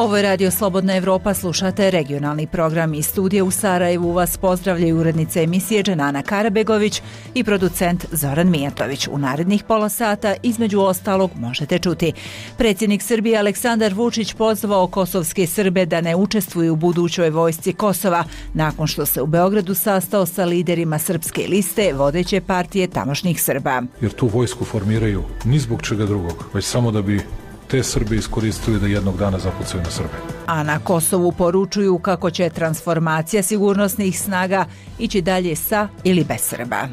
Ovo je Radio Slobodna Evropa, slušate regionalni program iz studija u Sarajevu. Vas pozdravljaju urednica emisije Dženana Karabegović i producent Zoran Mijatović. U narednih pola sata, između ostalog, možete čuti. Predsjednik Srbije Aleksandar Vučić pozvao kosovske Srbe da ne učestvuju u budućoj vojsci Kosova, nakon što se u Beogradu sastao sa liderima srpske liste, vodeće partije tamošnjih Srba. Jer tu vojsku formiraju ni zbog čega drugog, već samo da bi te Srbi iskoristili da jednog dana zapucaju na Srbe. A na Kosovu poručuju kako će transformacija sigurnosnih snaga ići dalje sa ili bez Srba.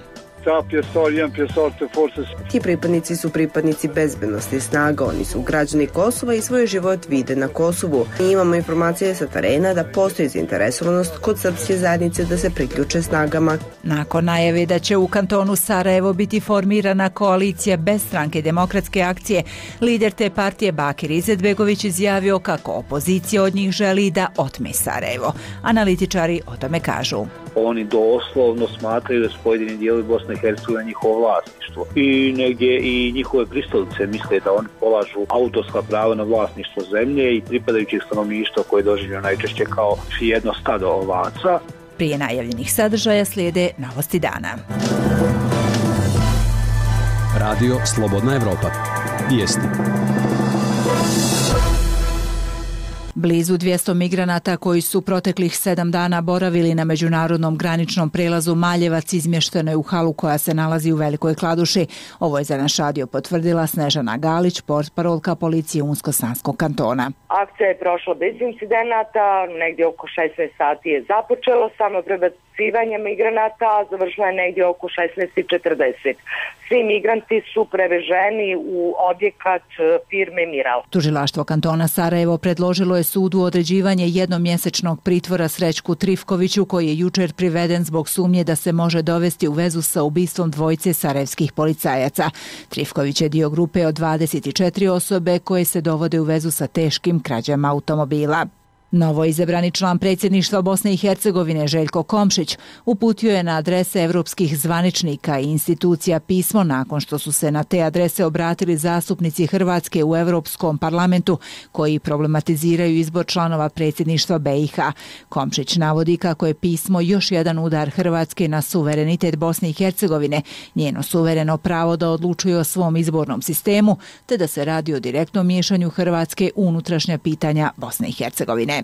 Ti pripadnici su pripadnici bezbednosti snaga, oni su građani Kosova i svoj život vide na Kosovu. Mi imamo informacije sa terena da postoji zainteresovanost kod srpske zajednice da se priključe snagama. Nakon najave da će u kantonu Sarajevo biti formirana koalicija bez stranke Demokratske akcije, lider te partije Bakir Izetbegović izjavio kako opozicija od njih želi da otme Sarajevo. Analitičari o tome kažu. Oni doslovno smatraju da su pojedini dijelovi Bosne i Hercegovine njihovo vlasništvo. I negdje i njihove pristalice misle da oni polažu autorska prava na vlasništvo zemlje i pripadajućih stanovništva koje doživljaju najčešće kao jedno stado ovaca. Prije najavljenih sadržaja slijede novosti dana. Radio Slobodna Evropa. Vijesti. Blizu 200 migranata koji su proteklih 7 dana boravili na međunarodnom graničnom prelazu Maljevac izmješteno je u halu koja se nalazi u Velikoj Kladuši. Ovo je za naš radio potvrdila Snežana Galić, portparolka policije Unsko-Sanskog kantona. Akcija je prošla bez incidenata, negdje oko 16 sati je započelo samo prebacivanje migranata, a završilo je negdje oko 16:40. Svi migranti su preveženi u objekat firme Miral. Tužilaštvo kantona Sarajevo predložilo je sudu određivanje jednomjesečnog pritvora Srećku Trifkoviću, koji je jučer priveden zbog sumnje da se može dovesti u vezu sa ubistvom dvojice sarajevskih policajaca. Trifković je dio grupe od 24 osobe koje se dovode u vezu sa teškim krađama automobila. Novo izabrani član predsjedništva Bosne i Hercegovine Željko Komšić uputio je na adrese evropskih zvaničnika i institucija pismo nakon što su se na te adrese obratili zastupnici Hrvatske u Europskom parlamentu koji problematiziraju izbor članova predsjedništva BiH. Komšić navodi kako je pismo još jedan udar Hrvatske na suverenitet Bosne i Hercegovine, njeno suvereno pravo da odlučuje o svom izbornom sistemu, te da se radi o direktnom miješanju Hrvatske u unutrašnja pitanja Bosne i Hercegovine.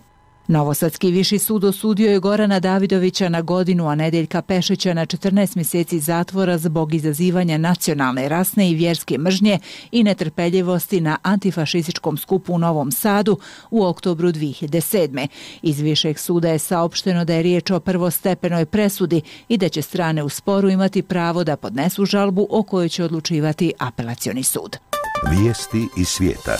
Novosadski viši sud osudio je Gorana Davidovića na godinu, a Nedeljka Pešića na 14 mjeseci zatvora zbog izazivanja nacionalne, rasne i vjerske mržnje i netrpeljivosti na antifašističkom skupu u Novom Sadu u oktobru 2007. Iz višeg suda je saopšteno da je riječ o prvostepenoj presudi i da će strane u sporu imati pravo da podnesu žalbu o kojoj će odlučivati apelacioni sud. Vijesti iz svijeta.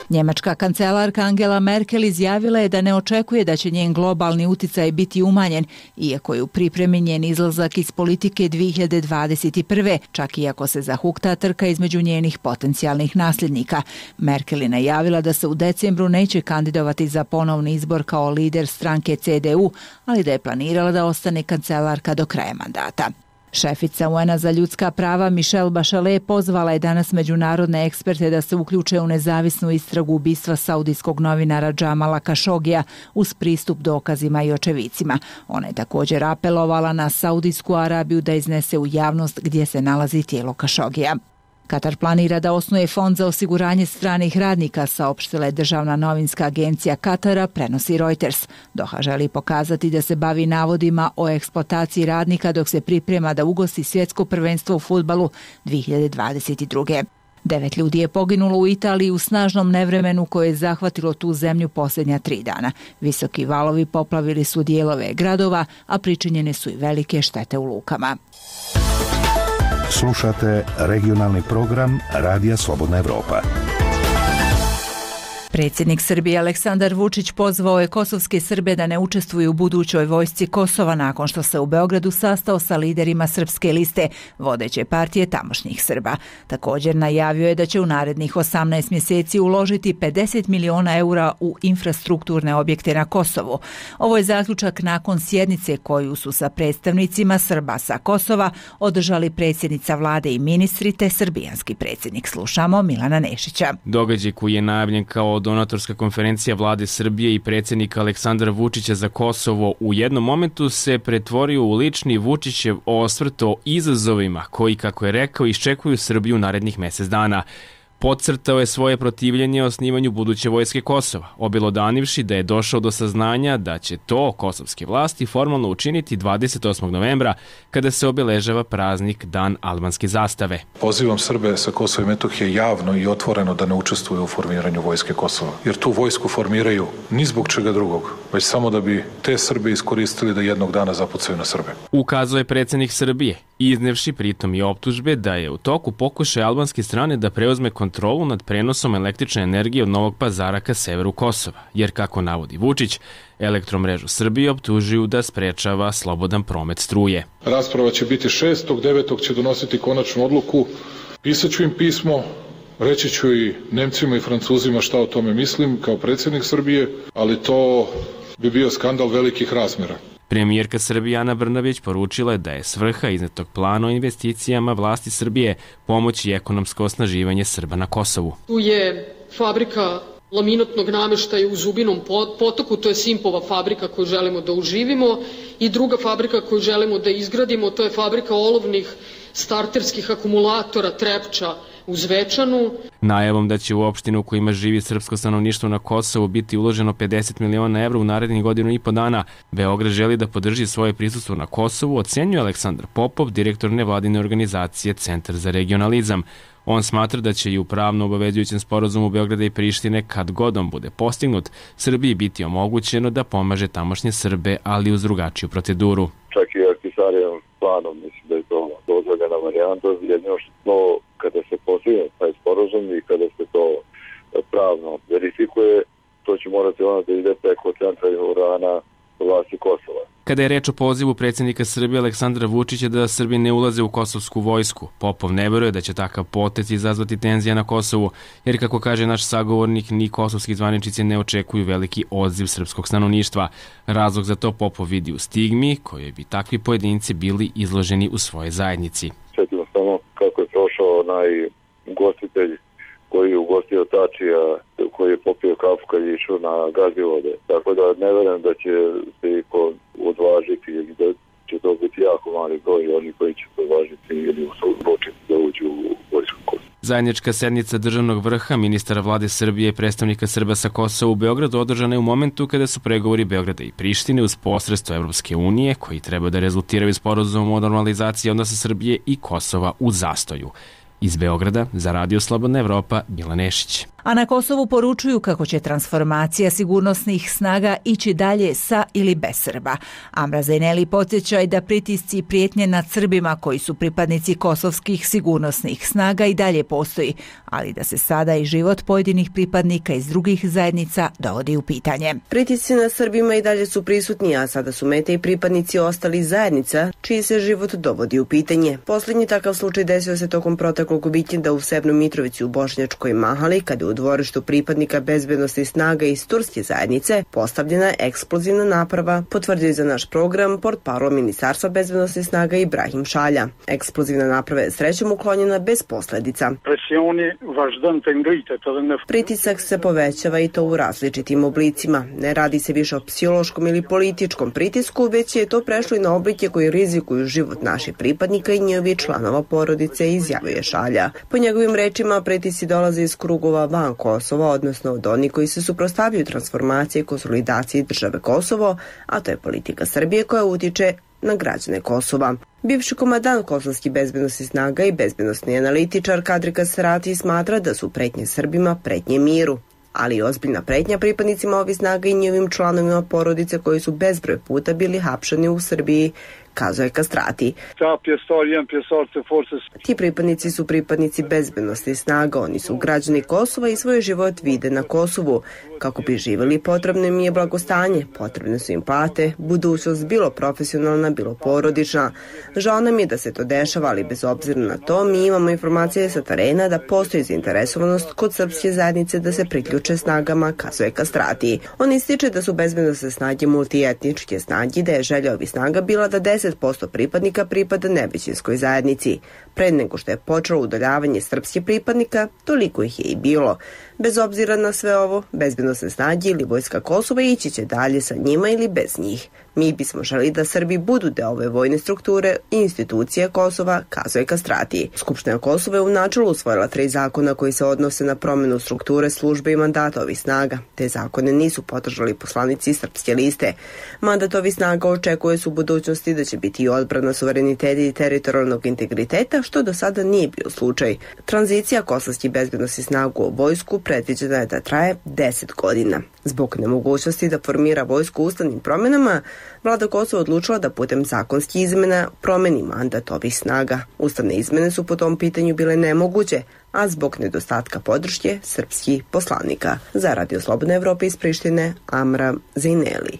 Njemačka kancelarka Angela Merkel izjavila je da ne očekuje da će njen globalni uticaj biti umanjen, iako je u pripremi njen izlazak iz politike 2021. čak i ako se zahukta trka između njenih potencijalnih nasljednika. Merkel je najavila da se u decembru neće kandidovati za ponovni izbor kao lider stranke CDU, ali da je planirala da ostane kancelarka do kraja mandata. Šefica UN-a za ljudska prava Michelle Bachelet pozvala je danas međunarodne eksperte da se uključe u nezavisnu istragu ubistva saudijskog novinara Džamala Kašogija uz pristup dokazima i očevicima. Ona je također apelovala na Saudijsku Arabiju da iznese u javnost gdje se nalazi tijelo Kašogija. Katar planira da osnuje fond za osiguranje stranih radnika, saopštila je državna novinska agencija Katara, prenosi Reuters. Doha želi pokazati da se bavi navodima o eksploataciji radnika dok se priprema da ugosti svjetsko prvenstvo u fudbalu 2022. 9 ljudi je poginulo u Italiji u snažnom nevremenu koje je zahvatilo tu zemlju posljednja 3 dana. Visoki valovi poplavili su dijelove gradova, a pričinjene su i velike štete u lukama. Slušate regionalni program Radija Slobodna Evropa. Predsjednik Srbije Aleksandar Vučić pozvao je kosovske Srbe da ne učestvuju u budućoj vojsci Kosova nakon što se u Beogradu sastao sa liderima Srpske liste, vodeće partije tamošnjih Srba. Također najavio je da će u narednih 18 mjeseci uložiti 50 miliona eura u infrastrukturne objekte na Kosovu. Ovo je zaključak nakon sjednice koju su sa predstavnicima Srba sa Kosova održali predsjednica vlade i ministri te srbijanski predsjednik. Slušamo Milana Nešića. Događaj koji je najavljen kao donatorska konferencija vlade Srbije i predsjednika Aleksandra Vučića za Kosovo u jednom momentu se pretvorio u lični Vučićev osvrt o izazovima koji, kako je rekao, iščekuju Srbiju narednih mjesec dana. Podcrtao je svoje protivljenje osnivanju buduće vojske Kosova, obelodanivši da je došao do saznanja da će to kosovske vlasti formalno učiniti 28. novembra kada se obeležava praznik Dan albanske zastave. Pozivam Srbe sa Kosova i Metohije javno i otvoreno da ne učestvuju u formiranju vojske Kosova, jer tu vojsku formiraju ni zbog čega drugog, već samo da bi te Srbe iskoristili da jednog dana zapucaju na Srbe. Ukazao je predsjednik Srbije, iznevši pritom i optužbe da je u toku pokušaj albanske strane da preuzme kontrolu nad prenosom električne energije od Novog Pazara ka severu Kosova, jer, kako navodi Vučić, Elektromrežu Srbije optužuju da sprečava slobodan promet struje. Rasprava će biti 6.9. će donositi konačnu odluku. Pisaću im pismo, reći ću i Nemcima i Francuzima šta o tome mislim kao predsjednik Srbije, ali to bi bio skandal velikih razmjera. Premijerka Srbije Ana Brnabić poručila je da je svrha iznetog plana o investicijama vlasti Srbije pomoći ekonomsko osnaživanje Srba na Kosovu. Tu je fabrika laminatnog namještaja u Zubinom potoku, to je Simpova fabrika koju želimo da uživimo, i druga fabrika koju želimo da izgradimo, to je fabrika olovnih starterskih akumulatora Trepča u Zvečanu. Najavom da će u opštinu u kojima živi srpsko stanovništvo na Kosovu biti uloženo 50 miliona evra u narednih godinu i po dana, Beograd želi da podrži svoje prisustvo na Kosovu, ocenjuje Aleksandar Popov, direktor nevladine organizacije Centar za regionalizam. On smatra da će i u pravno obavezujućem sporazumu Beograda i Prištine, kad god on bude postignut, Srbiji biti omogućeno da pomaže tamošnje Srbe, ali uz drugačiju proceduru. Čak i Ahtisarijevom planom mislim da je to dozvoljena varijanta, jedino što kada se postigne taj sporazum i kada se to pravno verifikuje, to će morati ono da ide preko centra urana vlasti Kosova. Kada je reč o pozivu predsjednika Srbije Aleksandra Vučića da Srbi ne ulaze u kosovsku vojsku, Popov ne veruje da će takav potez izazvati tenzija na Kosovu, jer, kako kaže naš sagovornik, ni kosovski zvaničnici ne očekuju veliki odziv srpskog stanovništva. Razlog za to Popov vidi u stigmi kojoj bi takvi pojedinci bili izloženi u svojoj zajednici. Sjetimo samo kako je prošao onaj ugostitelj koji je ugostio Tačija, koji je popio kafu kad je išao na Gazivode. Tako da ne verujem da će se iko odvažiti, da će to biti jako mali broj oni koji će se odvažiti ili odlučiti da uđu u vojsku Kosova. Zajednička sednica državnog vrha ministara vlade Srbije i predstavnika Srba sa Kosova u Beogradu održana je u momentu kada su pregovori Beograda i Prištine uz posredstvo Evropske unije, koji treba da rezultiraju sporazumom o normalizaciji odnosa Srbije i Kosova, u zastoju. Iz Beograda za Radio Slobodna Evropa, Milan Nešić. A na Kosovu poručuju kako će transformacija sigurnosnih snaga ići dalje sa ili bez Srba. Amra Zaineli podsjeća i da pritisci i prijetnje nad Srbima koji su pripadnici kosovskih sigurnosnih snaga i dalje postoji, ali da se sada i život pojedinih pripadnika iz drugih zajednica dovodi u pitanje. Pritisci nad Srbima i dalje su prisutni, a sada su mete i pripadnici ostalih zajednica, čiji se život dovodi u pitanje. Posljednji takav slučaj desio se tokom proteklog vikenda u Severnoj Mitrovici u Bošnjačkoj Mahali, kada u dvorištu pripadnika bezbednosnih snaga iz turske zajednice postavljena eksplozivna naprava, potvrdio je za naš program portparol Ministarstva bezbednosnih snaga Ibrahim Šalja. Eksplozivna naprava je srećom uklonjena bez posljedica. Pritisak se povećava i to u različitim oblicima. Ne radi se više o psihološkom ili političkom pritisku, već je to prešlo i na oblike koji rizikuju život naših pripadnika i njihovih članova porodice, izjavio je Šalja. Po njegovim rečima, pritisci dolaze iz krugova van Kosova, odnosno od onih koji se suprotstavljaju transformaciji i konsolidaciji države Kosovo, a to je politika Srbije koja utiče na građane Kosova. Bivši komandant kosovskih bezbednosnih snaga i bezbednosni analitičar Kadri Kasrati smatra da su pretnje Srbima pretnje miru, ali i ozbiljna pretnja pripadnicima ovih snaga i njihovim članovima porodice koji su bezbroj puta bili hapšeni u Srbiji kazuje Kastrati. Ti pripadnici su pripadnici bezbednosti snaga, oni su građani Kosova i svoj život vide na Kosovu. Kako bi živjeli, potrebno im je blagostanje, potrebne su im plate, budućnost bilo profesionalna, bilo porodična. Žao nam je da se to dešava, ali bez obzira na to mi imamo informacije sa terena da postoji zainteresovanost kod srpske zajednice da se priključe snagama, kazuje Kastrati. On ističe da su bezbednosne snage multietničke snage, da je želja ovih snaga bila da 10% pripadnika pripada nevećinskoj zajednici. Pre nego što je počelo udaljavanje srpskih pripadnika, toliko ih je i bilo. Bez obzira na sve ovo, bezbednosne snage ili vojska Kosova ići će dalje sa njima ili bez njih. Mi bismo želi da Srbi budu deo ove vojne strukture i institucije Kosova, kazuje Kastrati. Skupština Kosova je u načelu usvojila 3 zakona koji se odnose na promjenu strukture službe i mandata ovih snaga. Te zakone nisu podržali poslanici Srpske liste. Mandat ovih snaga očekuje se u budućnosti da će biti i odbrana suvereniteta i teritorijalnog integriteta, što do sada nije bio slučaj. Tranzicija kosovskih bezbednosnih snaga u vojsku predviđena je da traje 10 godina. Zbog nemogućnosti da formira vojsku ustavnim promjenama, Vlada Kosova odlučila da putem zakonskih izmena promeni mandat ovih snaga. Ustavne izmene su po tom pitanju bile nemoguće, a zbog nedostatka podrške srpskih poslanika. Za Radio Slobodna Evropa iz Prištine, Amra Zejneli.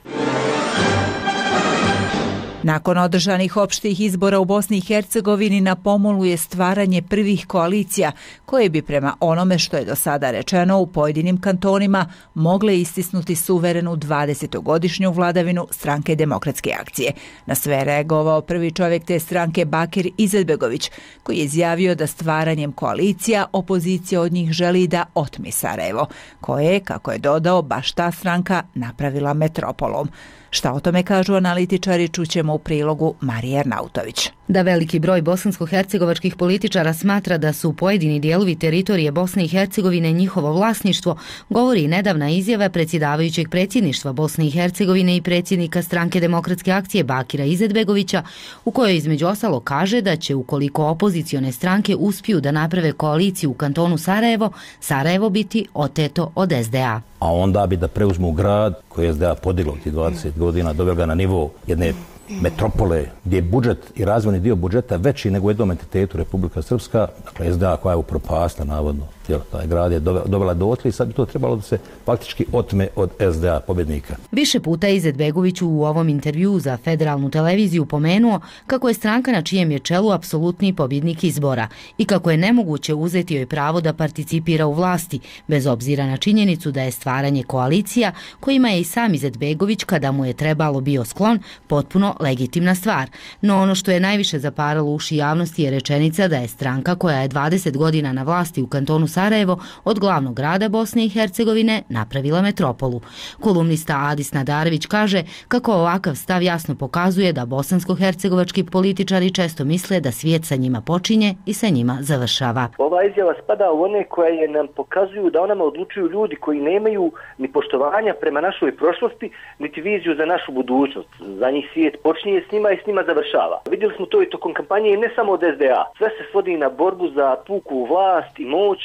Nakon održanih opštih izbora u Bosni i Hercegovini na pomolu je stvaranje prvih koalicija koje bi prema onome što je do sada rečeno u pojedinim kantonima mogle istisnuti suverenu 20-godišnju vladavinu Stranke demokratske akcije. Na sve reagovao prvi čovjek te stranke Bakir Izetbegović, koji je izjavio da stvaranjem koalicija opozicija od njih želi da otmi Sarajevo, koje je, kako je dodao, baš ta stranka napravila metropolom. Šta o tome kažu analitičari, čućemo u prilogu Marije Arnautović. Da veliki broj bosansko-hercegovačkih političara smatra da su pojedini dijelovi teritorije Bosne i Hercegovine njihovo vlasništvo, govori i nedavna izjava predsjedavajućeg predsjedništva Bosne i Hercegovine i predsjednika Stranke demokratske akcije Bakira Izetbegovića, u kojoj između ostalog kaže da će, ukoliko opozicione stranke uspiju da naprave koaliciju u kantonu Sarajevo, Sarajevo biti oteto od SDA. A onda bi da preuzmu grad koji je SDA podiglo tih 20 godina, doveo ga na nivo jedne metropole gdje je budžet i razvojni dio budžeta veći nego u jednom entitetu Republika Srpska, dakle SDA koja je upropastila navodno, taj grad je dovela dotle i sad bi to trebalo da se faktički otme od SDA pobjednika. Više puta Izetbegović u ovom intervjuu za federalnu televiziju pomenuo kako je stranka na čijem je čelu apsolutni pobjednik izbora i kako je nemoguće uzeti joj pravo da participira u vlasti, bez obzira na činjenicu da je stvaranje koalicija, kojima je i sam Izetbegović, kada mu je trebalo bio sklon, potpuno legitimna stvar. No ono što je najviše zaparalo uši javnosti je rečenica da je stranka koja je 20 godina na vlasti u kantonu Sarajevo od glavnog grada Bosne i Hercegovine napravila metropolu. Kolumnista Adis Nadarević kaže kako ovakav stav jasno pokazuje da bosansko-hercegovački političari često misle da svijet sa njima počinje i sa njima završava. Ova izjava spada u one koje nam pokazuju da o nama odlučuju ljudi koji nemaju ni poštovanja prema našoj prošlosti, niti viziju za našu budućnost. Za njih svijet počinje s njima i s njima završava. Vidjeli smo to i tokom kampanje i ne samo od SDA. Sve se svodi na borbu za puku vlast i moć,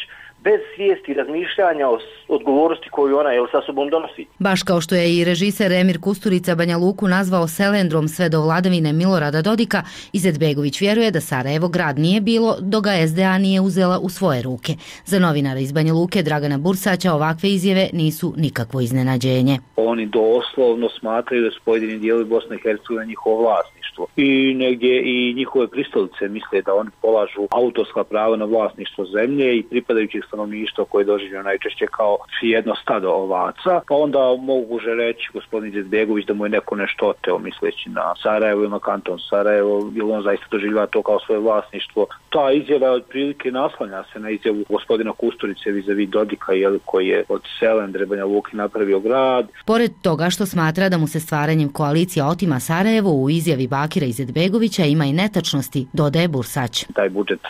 bez svijesti i razmišljanja o odgovornosti koju ona sa sobom donosi. Baš kao što je i režiser Emir Kusturica Banja Luku nazvao selendrom sve do vladavine Milorada Dodika, Izetbegović vjeruje da Sarajevo grad nije bilo dok ga SDA nije uzela u svoje ruke. Za novinara iz Banja Luke Dragana Bursaća ovakve izjave nisu nikakvo iznenađenje. Oni doslovno smatraju da su pojedini dijelovi Bosne i Hercegovine njihovo vlasništvo i negdje i njihove pristalice misle da oni polažu autorska prava na vlasništvo zemlje i pripadajućih stanovništva koje doživljaju najčešće kao jedno stado ovaca, pa onda moguće reći gospodin Izetbegović da mu je neko nešto oteo misleći na Sarajevo ili na kanton Sarajevo, jer on zaista doživljava to kao svoje vlasništvo. Ta izjava otprilike naslanja se na izjavu gospodina Kusturice vis-a-vis Dodika, koji je od selendre Banja Luke napravio grad. Pored toga što smatra da mu se stvaranjem koalicija otima Sarajevo, u izjavi Bakira Izetbegovića ima i netačnosti, dodaje Bursać. Taj budžet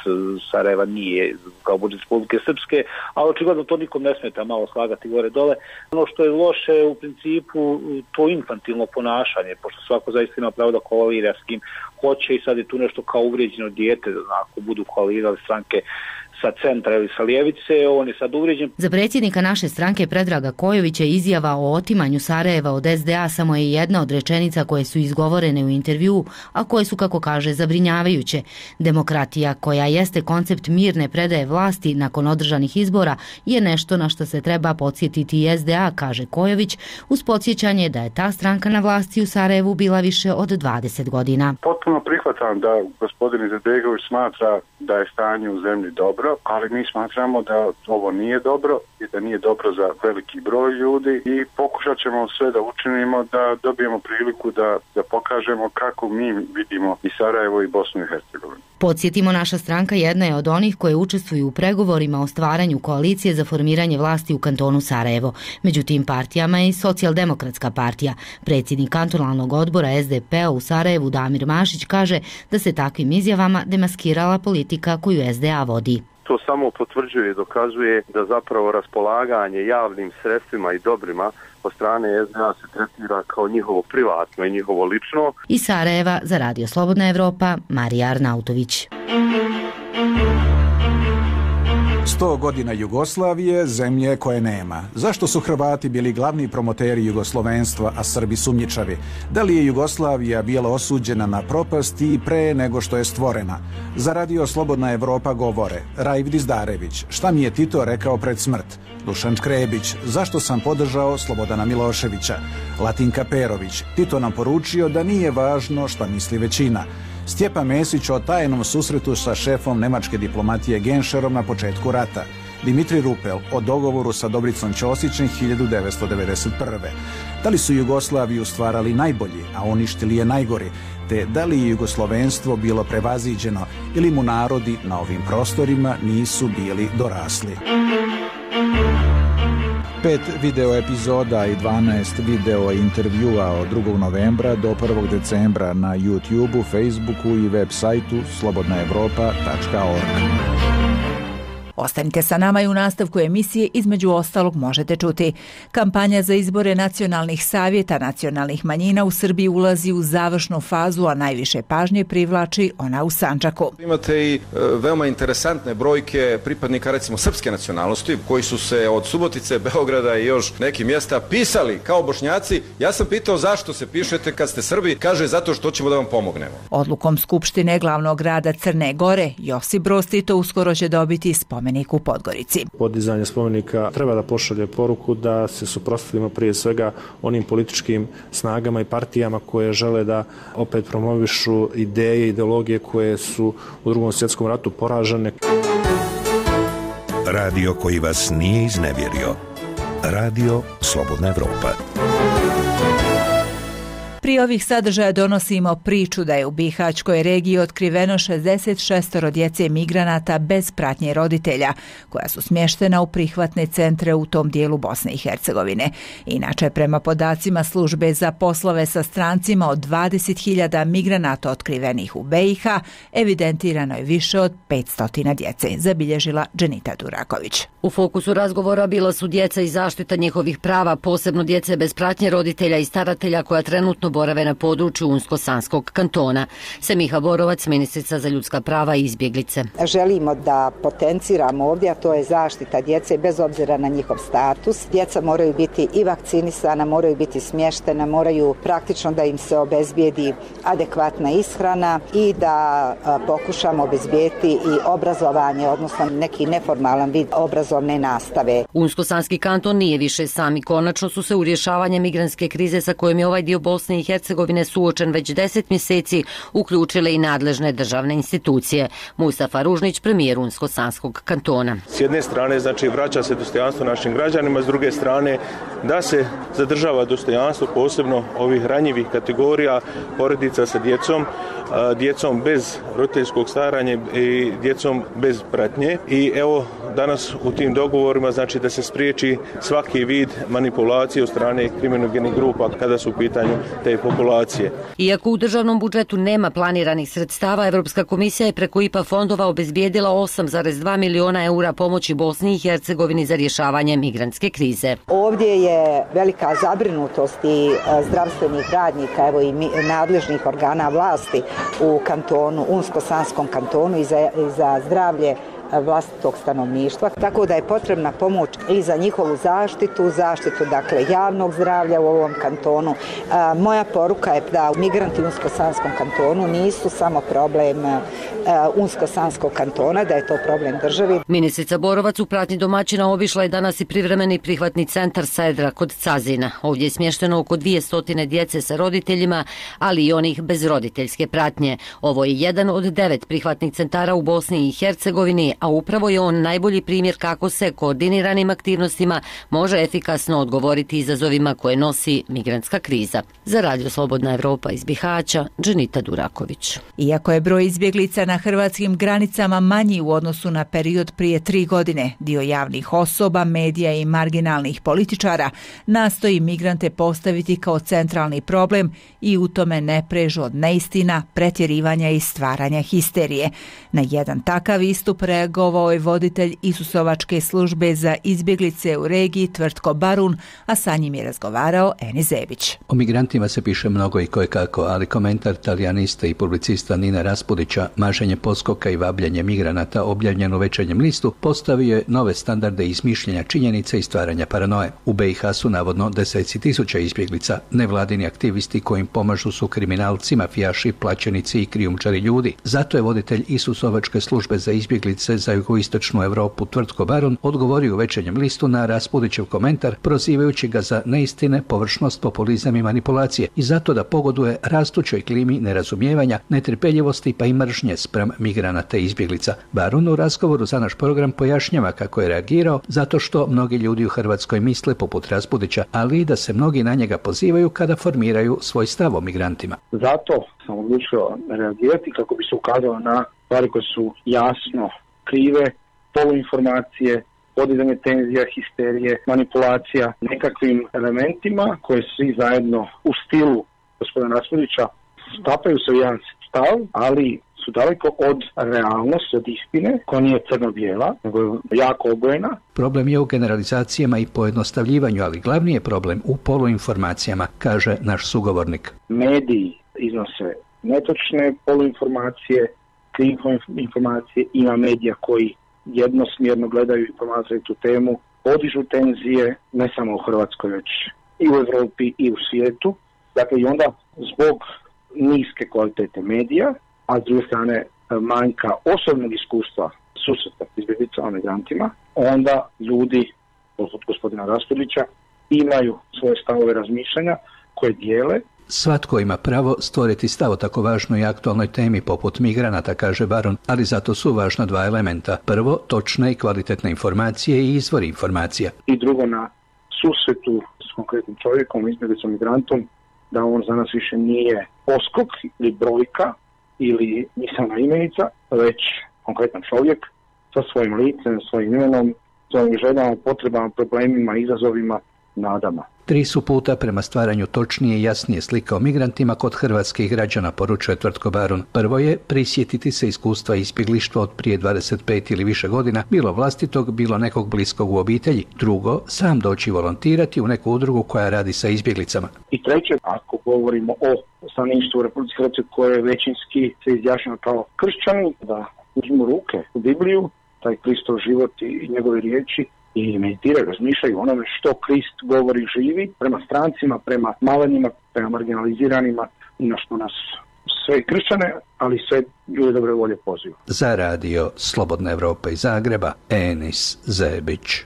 Sarajeva nije kao budžet Republike Srpske, ali očigledno to nikom ne smeta malo slagati gore dole. Ono što je loše u principu to infantilno ponašanje, pošto svako zaista ima pravo da koalira s kim hoće i sad je tu nešto kao uvrijeđeno dijete, ako budu koalirali stranke sa centra ili sa ljevice, on je sad uvrijeđen. Za predsjednika naše stranke Predraga Kojovića izjava o otimanju Sarajeva od SDA samo je jedna od rečenica koje su izgovorene u intervjuu, a koje su, kako kaže, zabrinjavajuće. Demokratija, koja jeste koncept mirne predaje vlasti nakon održanih izbora, je nešto na što se treba podsjetiti i SDA, kaže Kojović, uz podsjećanje da je ta stranka na vlasti u Sarajevu bila više od 20 godina. Potpuno prihvatam da gospodin Izetbegović smatra da je stanje u zemlji dobro, ali mi smatramo da ovo nije dobro i da nije dobro za veliki broj ljudi i pokušat ćemo sve da učinimo da dobijemo priliku da pokažemo kako mi vidimo i Sarajevo i Bosnu i Hercegovinu. Podsjetimo, naša stranka jedna je od onih koje učestvuju u pregovorima o stvaranju koalicije za formiranje vlasti u kantonu Sarajevo. Među tim partijama je i Socijaldemokratska partija. Predsjednik kantonalnog odbora SDP-a u Sarajevu Damir Mašić kaže da se takvim izjavama demaskirala politika koju SDA vodi. To samo potvrđuje i dokazuje da zapravo raspolaganje javnim sredstvima i dobrima od strane SDA se tretira kao njihovo privatno i njihovo lično. Iz Sarajeva za Radio Slobodna Evropa, Marija Arnautović. 100 godina Jugoslavije, zemlje koje nema. Zašto su Hrvati bili glavni promoteri jugoslovenstva, a Srbi sumnjičavi? Da li je Jugoslavija bila osuđena na propast i pre nego što je stvorena? Za Radio Slobodna Evropa govore Raif Dizdarević, šta mi je Tito rekao pred smrt? Dušan Škrebić, zašto sam podržao Slobodana Miloševića? Latinka Perović, Tito nam poručio da nije važno šta misli većina. Stjepan Mesić o tajnom susretu sa šefom nemačke diplomatije Genšerom na početku rata. Dimitri Rupel o dogovoru sa Dobricom Ćosićem 1991. Da li su Jugoslaviju stvarali najbolji, a uništili je najgori, te da li je jugoslovenstvo bilo prevaziđeno ili mu narodi na ovim prostorima nisu bili dorasli. 5 video epizoda i 12 video intervjua od 2. novembra do 1. decembra na YouTubeu, Facebooku i web sajtu slobodnaevropa.org. Ostanite sa nama i u nastavku emisije između ostalog možete čuti. Kampanja za izbore nacionalnih savjeta nacionalnih manjina u Srbiji ulazi u završnu fazu, a najviše pažnje privlači ona u Sandžaku. Imate i veoma interesantne brojke pripadnika recimo srpske nacionalnosti koji su se od Subotice, Beograda i još nekih mjesta pisali kao Bošnjaci. Ja sam pitao zašto se pišete kad ste Srbi, kaže zato što ćemo da vam pomognemo. Odlukom Skupštine glavnog grada Crne Gore, Josip Broz Tito uskoro će dobiti spomenik u Podgorici. Podizanje spomenika treba da pošalje poruku da se suprotstavimo prije svega onim političkim snagama i partijama koje žele da opet promovišu ideje i ideologije koje su u Drugom svjetskom ratu poražene. Radio koji vas nije iznevjerio. Radio Slobodna Evropa. Prije ovih sadržaja donosimo priču da je u Bihaćkoj regiji otkriveno 66 djece migranata bez pratnje roditelja, koja su smještena u prihvatne centre u tom dijelu Bosne i Hercegovine. Inače, prema podacima službe za poslove sa strancima, od 20.000 migranata otkrivenih u BiH, evidentirano je više od 500 djece, zabilježila Dženita Duraković. U fokusu razgovora bila su djeca i zaštita njihovih prava, posebno djece bez pratnje roditelja i staratelja koja trenutno borave na području Unsko-Sanskog kantona. Semiha Borovac, ministrica za ljudska prava i izbjeglice. Želimo da potenciramo ovdje, a to je zaštita djece bez obzira na njihov status. Djeca moraju biti i vakcinisana, moraju biti smještena, moraju praktično da im se obezbijedi adekvatna ishrana i da pokušamo obezbijeti i obrazovanje, odnosno neki neformalan vid obrazovne nastave. Unsko-Sanski kanton nije više sam i konačno su se u rješavanje migrantske krize sa kojom je ovaj dio Bosne i Hercegovine suočen već 10 mjeseci uključile i nadležne državne institucije. Mustafa Ružnić, premijer Unsko-Sanskog kantona. S jedne strane, znači, vraća se dostojanstvo našim građanima, s druge strane da se zadržava dostojanstvo posebno ovih ranjivih kategorija, porodica sa djecom bez roditeljskog staranja i djecom bez pratnje. I evo danas u tim dogovorima znači da se spriječi svaki vid manipulacije od strane kriminogenih grupa kada su u pitanju te populacije. Iako u državnom budžetu nema planiranih sredstava, Evropska komisija je preko IPA fondova obezbijedila 8,2 miliona eura pomoći Bosni i Hercegovini za rješavanje migrantske krize. Ovdje je velika zabrinutost i zdravstvenih radnika, evo i nadležnih organa vlasti u kantonu, Unsko-Sanskom kantonu i za zdravlje vlastitog stanovništva, tako da je potrebna pomoć i za njihovu zaštitu dakle javnog zdravlja u ovom kantonu. Moja poruka je da migranti u Unsko-Sanskom kantonu nisu samo problem Unsko-Sanskog kantona, da je to problem državi. Ministrica Borovac u pratnji domaćina obišla je danas i privremeni prihvatni centar Sajedra kod Cazina. Ovdje je smješteno oko 200 djece sa roditeljima, ali i onih bez roditeljske pratnje. Ovo je jedan od 9 prihvatnih centara u Bosni i Hercegovini, a upravo je on najbolji primjer kako se koordiniranim aktivnostima može efikasno odgovoriti izazovima koje nosi migrantska kriza. Za Radio Slobodna Evropa iz Bihaća, Dženita Duraković. Iako je broj izbjeglica na hrvatskim granicama manji u odnosu na period prije 3 godine, dio javnih osoba, medija i marginalnih političara nastoji migrante postaviti kao centralni problem i u tome ne prežu od neistina, pretjerivanja i stvaranja histerije. Na jedan takav istup reagovao je voditelj Isusovačke službe za izbjeglice u regiji Tvrtko Barun, a sa njim je razgovarao Eni Zebić. O migrantima se piše mnogo i kojekako, ali komentar talijaniste i publicista Nina Raspudića, maženje poskoka i vabljenje migranata objavljen u Večernjem listu, postavio je nove standarde izmišljenja činjenica i stvaranja paranoje. U BiH su navodno deseci tisuća izbjeglica, nevladini aktivisti kojim pomažu su kriminalci, mafijaši, plaćenici i krijumčari ljudi. Zato je voditelj Isusovačke službe za izbjeglice za jugoistočnu Europu Tvrtko Barun odgovorio u Večernjem listu na Raspudićev komentar, prozivajući ga za neistine, površnost, populizam i manipulacije i zato da pogoduje rastućoj klimi nerazumijevanja, netrpeljivosti pa i mržnje spram migranata i izbjeglica. Barun u razgovoru za naš program pojašnjava kako je reagirao zato što mnogi ljudi u Hrvatskoj misle poput Raspudića, ali i da se mnogi na njega pozivaju kada formiraju svoj stav o migrantima. Zato sam odlučio reagirati kako bi se ukazalo na stvari koje su jasno krive, poluinformacije, podizanje tenzija, histerije, manipulacija, nekakvim elementima koje svi zajedno u stilu gospodina Raspudića stapaju se u jedan stav, ali su daleko od realnosti, od istine, koja nije crno-bijela, nego je jako obojena. Problem je u generalizacijama i pojednostavljivanju, ali glavni je problem u poluinformacijama, kaže naš sugovornik. Mediji iznose netočne poluinformacije, krive informacije, ima medija koji jednosmjerno gledaju informacije tu temu, podižu tenzije, ne samo u Hrvatskoj, već i u Europi i u svijetu. Dakle, i onda zbog niske kvalitete medija, a s druge strane manjka osobnog iskustva susreta s izbjeglicama, migrantima, onda ljudi, poput gospodina Raspudića, imaju svoje stavove razmišljanja koje dijele. Svatko ima pravo stvoriti stav o tako važnoj i aktualnoj temi poput migranata, kaže Barun, ali zato su važna dva elementa. Prvo, točne i kvalitetne informacije i izvori informacija. I drugo, na susretu s konkretnim čovjekom, izbjeglicom, migrantom, da on za nas više nije poskok ili brojka ili misaona imenica, već konkretan čovjek sa svojim licem, svojim imenom, svojim željama, potrebama, problemima, izazovima, nadama. 3 su puta prema stvaranju točnije i jasnije slike o migrantima kod hrvatskih građana, poručuje Tvrtko Barun. Prvo je prisjetiti se iskustva izbjeglištva od prije 25 ili više godina, bilo vlastitog, bilo nekog bliskog u obitelji. Drugo, sam doći volontirati u neku udrugu koja radi sa izbjeglicama. I treće, ako govorimo o stanovništvu u Republici Hrvatskoj koje većinski se izjašnjava kao kršćani, da uzmu ruke u Bibliju, taj Kristov život i njegove riječi, i meditiraju, razmišljaju onome što Krist govori, živi prema strancima, prema malenima, prema marginaliziranima i na što nas sve kršćane, ali sve ljude dobre volje poziva. Za Radio Slobodna Evropa iz Zagreba, Enis Zebić.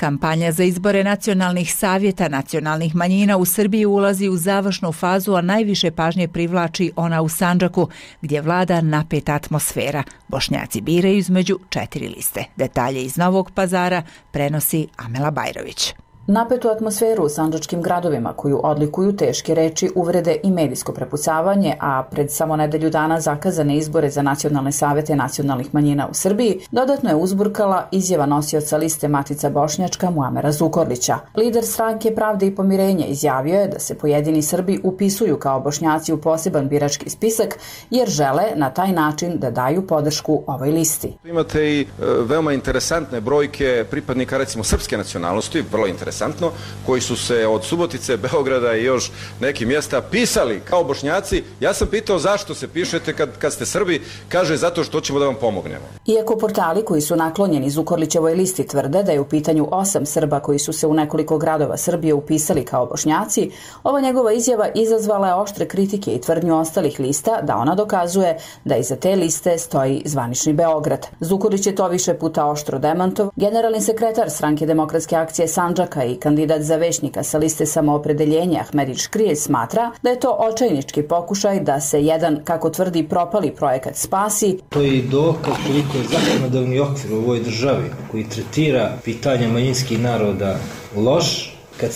Kampanja za izbore nacionalnih savjeta nacionalnih manjina u Srbiji ulazi u završnu fazu, a najviše pažnje privlači ona u Sandžaku, gdje vlada napeta atmosfera. Bošnjaci biraju između 4 liste. Detalje iz Novog Pazara prenosi Amela Bajrović. Napetu atmosferu u sandžačkim gradovima koju odlikuju teške reči, uvrede i medijsko prepucavanje, a pred samo nedelju dana zakazane izbore za nacionalne savete nacionalnih manjina u Srbiji, dodatno je uzburkala izjava nosioca liste Matica Bošnjačka Muamera Zukorlića. Lider stranke Pravde i pomirenje izjavio je da se pojedini Srbi upisuju kao Bošnjaci u poseban birački spisak jer žele na taj način da daju podršku ovoj listi. Imate i veoma interesantne brojke pripadnika recimo srpske nacionalnosti, vrlo interesantne interesantno, koji su se od Subotice, Beograda i još nekih mjesta pisali kao Bošnjaci. Ja sam pitao zašto se pišete kad ste Srbi, kaže zato što ćemo da vam pomognemo. Iako portali koji su naklonjeni Zukorlićevoj listi tvrde da je u pitanju 8 Srba koji su se u nekoliko gradova Srbije upisali kao Bošnjaci, ova njegova izjava izazvala je oštre kritike i tvrdnju ostalih lista da ona dokazuje da iza te liste stoji zvanični Beograd. Zukorlić je to više puta oštro demantov. Generalni sekretar Stranke demokratske akcije Sandžaka i kandidat za većnika sa liste Samoopredeljenja Ahmedin Škrijelj smatra da je to očajnički pokušaj da se jedan, kako tvrdi, propali projekat spasi. To je i dokaz koliko je zakonodavni okvir u ovoj državi koji tretira pitanja manjinskih naroda loš, kad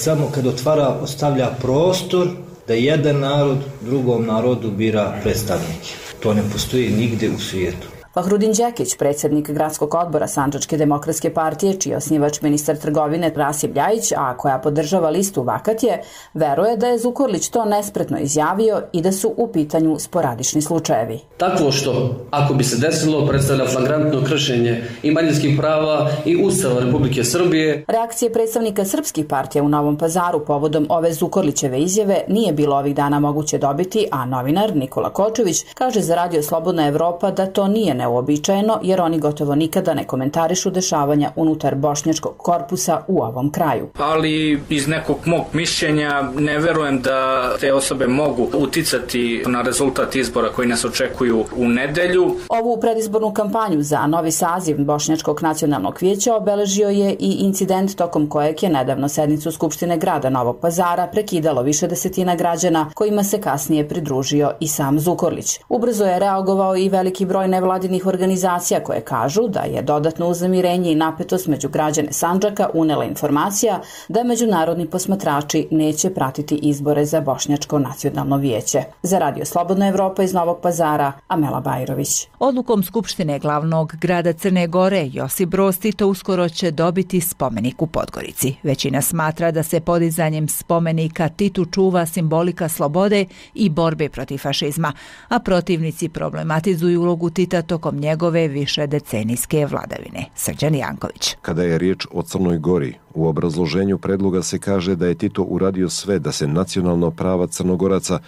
ostavlja prostor da jedan narod drugom narodu bira predstavnike. To ne postoji nigde u svijetu. Fahrudin Đekić, predsjednik gradskog odbora Sandžačke demokratske partije, čiji je osnivač ministar trgovine Rasim Ljajić, a koja podržava listu Vakatje, veruje da je Zukorlić to nespretno izjavio i da su u pitanju sporadični slučajevi. Takvo što, ako bi se desilo, predstavlja flagrantno kršenje i manjinskih prava i Ustava Republike Srbije. Reakcije predstavnika srpskih partija u Novom Pazaru povodom ove Zukorlićeve izjave nije bilo ovih dana moguće dobiti, a novinar Nikola Kočević kaže za Radio Slobodna Evropa da to nije neuobičajeno, jer oni gotovo nikada ne komentarišu dešavanja unutar bošnjačkog korpusa u ovom kraju. Ali iz nekog mog mišljenja ne verujem da te osobe mogu uticati na rezultat izbora koji nas očekuju u nedelju. Ovu predizbornu kampanju za novi saziv Bošnjačkog nacionalnog vijeća obeležio je i incident tokom kojeg je nedavno sednicu Skupštine grada Novog Pazara prekidalo više desetina građana, kojima se kasnije pridružio i sam Zukorlić. Ubrzo je reagovao i veliki broj nevladinih organizacija koje kažu da je dodatno uznemirenje i napetost među građane Sandžaka unela informacija da međunarodni posmatrači neće pratiti izbore za Bošnjačko nacionalno vijeće. Za Radio Slobodna Evropa iz Novog Pazara, Amela Bajrović. Odlukom Skupštine glavnog grada Crne Gore, Josip Broz Tito uskoro će dobiti spomenik u Podgorici. Većina smatra da se podizanjem spomenika Titu čuva simbolika slobode i borbe protiv fašizma, a protivnici problematizuju ulogu Tita tokom njegove višedecenijske vladavine. Srđan Janković. Kada je riječ o Crnoj Gori, u obrazloženju predloga se kaže da je Tito uradio sve da se nacionalna prava Crnogoraca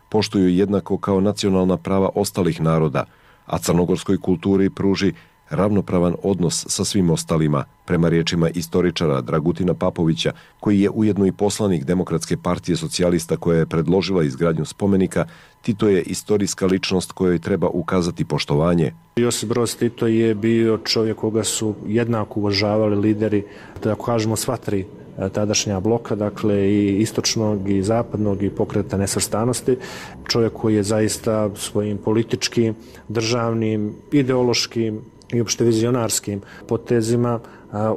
poštuju jednako kao nacionalna prava ostalih naroda, a crnogorskoj kulturi pruži ravnopravan odnos sa svim ostalima, prema riječima istoričara Dragutina Papovića, koji je ujedno i poslanik Demokratske partije socijalista koja je predložila izgradnju spomenika. Tito je istorijska ličnost kojoj treba ukazati poštovanje. Josip Broz Tito je bio čovjek koga su jednako uvažavali lideri, da kažemo sva tri tadašnja bloka, dakle i istočnog i zapadnog i Pokreta nesvrstanosti. Čovjek koji je zaista svojim političkim, državnim, ideološkim i opšte vizionarskim potezima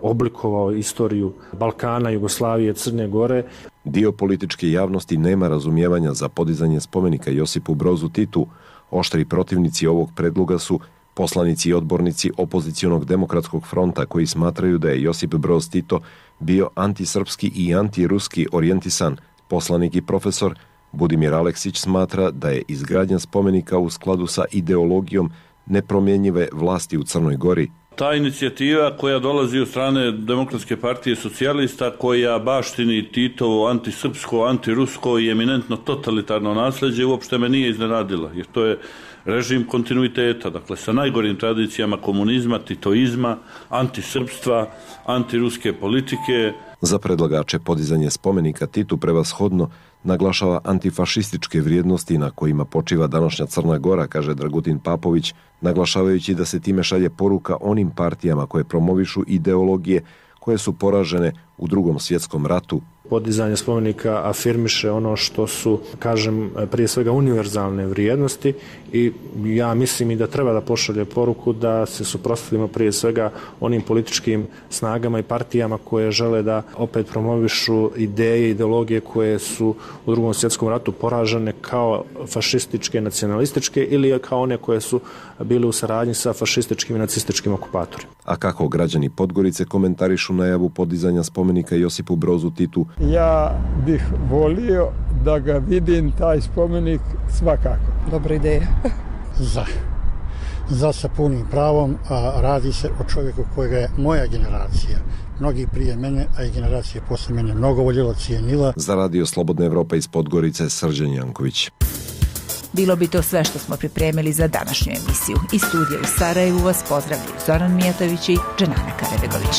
oblikovao istoriju Balkana, Jugoslavije, Crne Gore. Dio političke javnosti nema razumijevanja za podizanje spomenika Josipu Brozu Titu. Oštri protivnici ovog predloga su poslanici i odbornici opozicionog demokratskog fronta koji smatraju da je Josip Broz Tito bio antisrpski i antiruski orijentisan. Poslanik i profesor Budimir Aleksić smatra da je izgradnja spomenika u skladu sa ideologijom nepromjenjive vlasti u Crnoj Gori. Ta inicijativa koja dolazi od strane Demokratske partije socijalista, koja baštini Titovo antisrpsko, antirusko i eminentno totalitarno nasljeđe, uopšte me nije iznenadila, jer to je režim kontinuiteta, dakle sa najgorim tradicijama komunizma, titoizma, antisrpstva, antiruske politike. Za predlagače podizanje spomenika Titu prevashodno naglašava antifašističke vrijednosti na kojima počiva današnja Crna Gora, kaže Dragutin Papović, naglašavajući da se time šalje poruka onim partijama koje promovišu ideologije koje su poražene u Drugom svjetskom ratu. Podizanje spomenika afirmiše ono što su, kažem, prije svega univerzalne vrijednosti i ja mislim i da treba da pošalje poruku da se suprotstavimo prije svega onim političkim snagama i partijama koje žele da opet promovišu ideje, ideologije koje su u Drugom svjetskom ratu poražene kao fašističke, nacionalističke ili kao one koje su bile u saradnji sa fašističkim i nacističkim okupatorima. A kako građani Podgorice komentarišu najavu podizanja spomenika Josipu Brozu Titu? Ja bih volio da ga vidim, taj spomenik, svakako. Dobra ideja. Za sa punim pravom, a radi se o čovjeku kojega je moja generacija mnogi prije mene, a i generacije posle mene mnogo voljela, cijenila. Za Radio Slobodna Evropa iz Podgorice, Srđan Janković. Bilo bi to sve što smo pripremili za današnju emisiju. Iz studija u Sarajevu vas pozdravljaju Zoran Mijatović i Dženana Karabegović.